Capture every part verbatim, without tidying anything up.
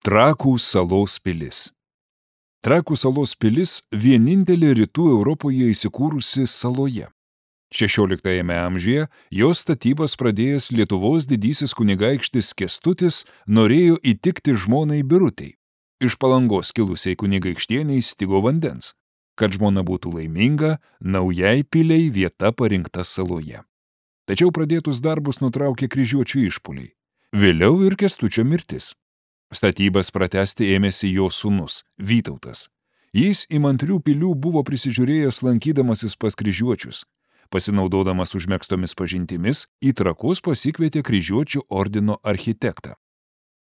Trakų salos pilis. Trakų salos pilis vienintelė rytų Europoje įsikūrusi saloje. šešioliktajame amžiuje jos statybas pradėjęs Lietuvos didysis kunigaikštis Kęstutis norėjo įtikti žmonai Birutei. Iš Palangos kilusiai kunigaikštieniai stigo vandens. Kad žmona būtų laiminga, naujai piliai vieta parinkta saloje. Tačiau pradėtus darbus nutraukė kryžiuočių išpuoliai. Vėliau ir Kęstučio mirtis. Statybas pratęsti ėmėsi jo sūnus, Vytautas. Jis įmantrių pilių buvo prisižiūrėjęs lankydamasis pas kryžiuočius. Pasinaudodamas užmegztomis pažintimis, į Trakus pasikvietė kryžiuočių ordino architektą.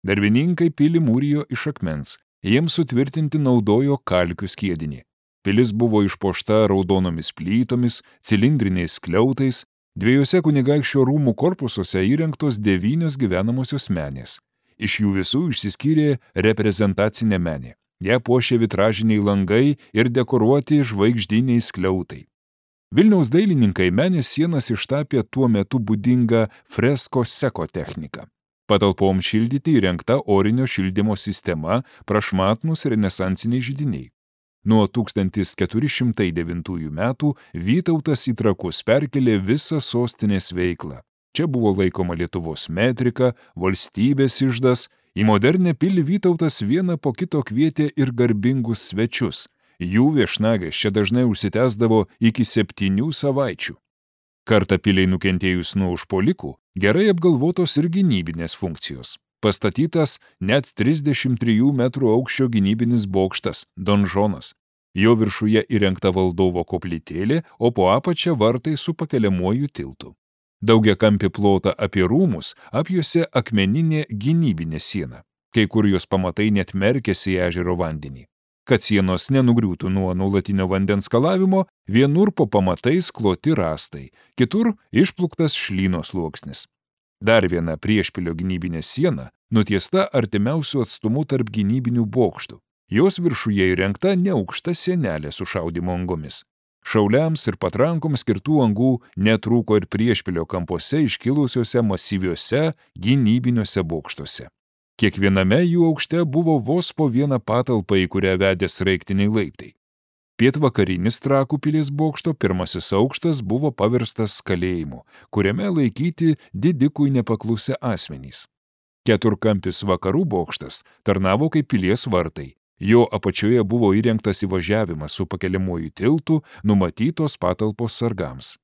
Darbininkai pilį mūrijo iš akmens, jiems sutvirtinti naudojo kalkių skiedinį. Pilis buvo išpuošta raudonomis plytomis, cilindriniais skliautais, dviejose kunigaikščio rūmų korpusuose įrengtos devynios gyvenamosios menės. Iš jų visų išsiskyrė reprezentacinė menė. Ją puošė vitražiniai langai ir dekoruoti žvaigždiniai skliautai. Vilniaus dailininkai menės sienas ištapė tuo metu būdingą fresko seko techniką. Patalpom šildyti įrengta orinio šildymo sistema, prašmatnūs renesansiniai židiniai. Nuo tūkstantis keturi šimtai devintųjų metų Vytautas į Trakus perkelė visą sostinės veiklą. Čia buvo laikoma Lietuvos metrika, valstybės iždas. Į modernę pilį Vytautas vieną po kito kvietė ir garbingus svečius. Jų viešnagės čia dažnai užsitęsdavo iki septynių savaičių. Kartą piliai nukentėjus nuo užpuolikų, gerai apgalvotos ir gynybinės funkcijos. Pastatytas net trisdešimt trijų metrų aukščio gynybinis bokštas, donžonas. Jo viršuje įrengta valdovo koplytėlė, o po apačia vartai su pakeliamuoju tiltu. Daugiakampį plotą apie rūmus apjuosė akmeninė gynybinė siena. Kai kur jos pamatai net merkėsi į ežero vandenį. Kad sienos nenugriūtų nuo nuolatinio vandens skalavimo, vienur po pamatais kloti rąstai, kitur išpluktas šlyno sluoksnis. Dar viena priešpilio gynybinė siena nutiesta artimiausių atstumų tarp gynybinių bokštų. Jos viršuje įrengta neaukšta sienelė su šaudymo angomis. Šauliams ir patrankoms skirtų angų netrūko ir priešpilio kampuose iškilusiuose masyviuose gynybiniuose bokštuose. Kiekviename jų aukšte buvo vos po vieną patalpą, į kurią vedė sraigtiniai laiptai. Pietvakarinis Trakų pilies bokšto pirmasis aukštas buvo paverstas kalėjimu, kuriame laikyti didikui nepaklusę asmenys. Keturkampis vakarų bokštas tarnavo kaip pilies vartai. Jo apačioje buvo įrengtas įvažiavimas su pakeliamuoju tiltu, numatytos patalpos sargams.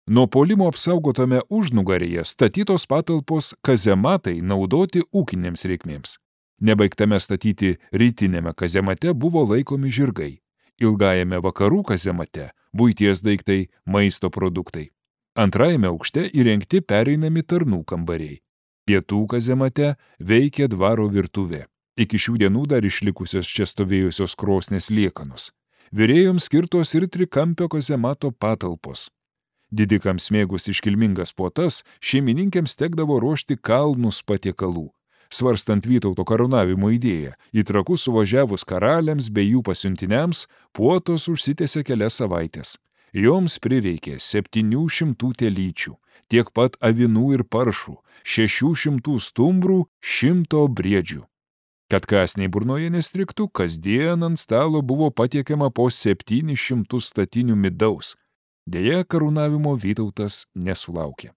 Nuo puolimo apsaugotame užnugaryje statytos patalpos kazematai naudoti ūkinėms reikmėms. Nebaigtame statyti rytinėme kazemate buvo laikomi žirgai. Ilgajame vakarų kazemate buities daiktai, maisto produktai. Antrajame aukšte įrengti pereinami tarnų kambariai. Pietų kazemate veikė dvaro virtuvė. Iki šių dienų dar išlikusios čia stovėjusios krosnės liekanos. Virėjoms skirtos ir trikampio kazemato patalpos. Didikams mėgus iškilmingas puotas, šeimininkėms tekdavo ruošti kalnus patiekalų. Svarstant Vytauto karūnavimo idėją, į Trakus suvažiavus karaliams bei jų pasiuntiniams, puotos užsitęsė kelias savaitės. Joms prireikė septynių šimtų telyčių, tiek pat avinų ir paršų, šešių šimtų stumbrų, šimto briedžių. Kad kąsniai burnoje nestriktų, kasdien ant stalo buvo patiekiama po septynis šimtus statinių midaus. Deja, karūnavimo Vytautas nesulaukė.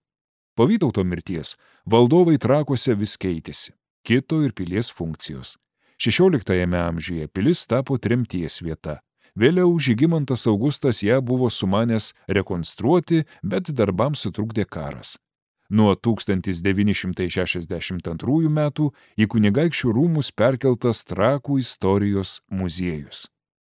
Po Vytauto mirties valdovai Trakuose vis keitėsi, kito ir pilies funkcijos. šešioliktajame amžiuje pilis tapo tremties vieta. Vėliau Žygimantas Augustas ją buvo sumanęs rekonstruoti, bet darbams sutrukdė karas. Nuo tūkstantis devyni šimtai šešiasdešimt antrųjų metų į kunigaikščių rūmus perkeltas Trakų istorijos muziejus.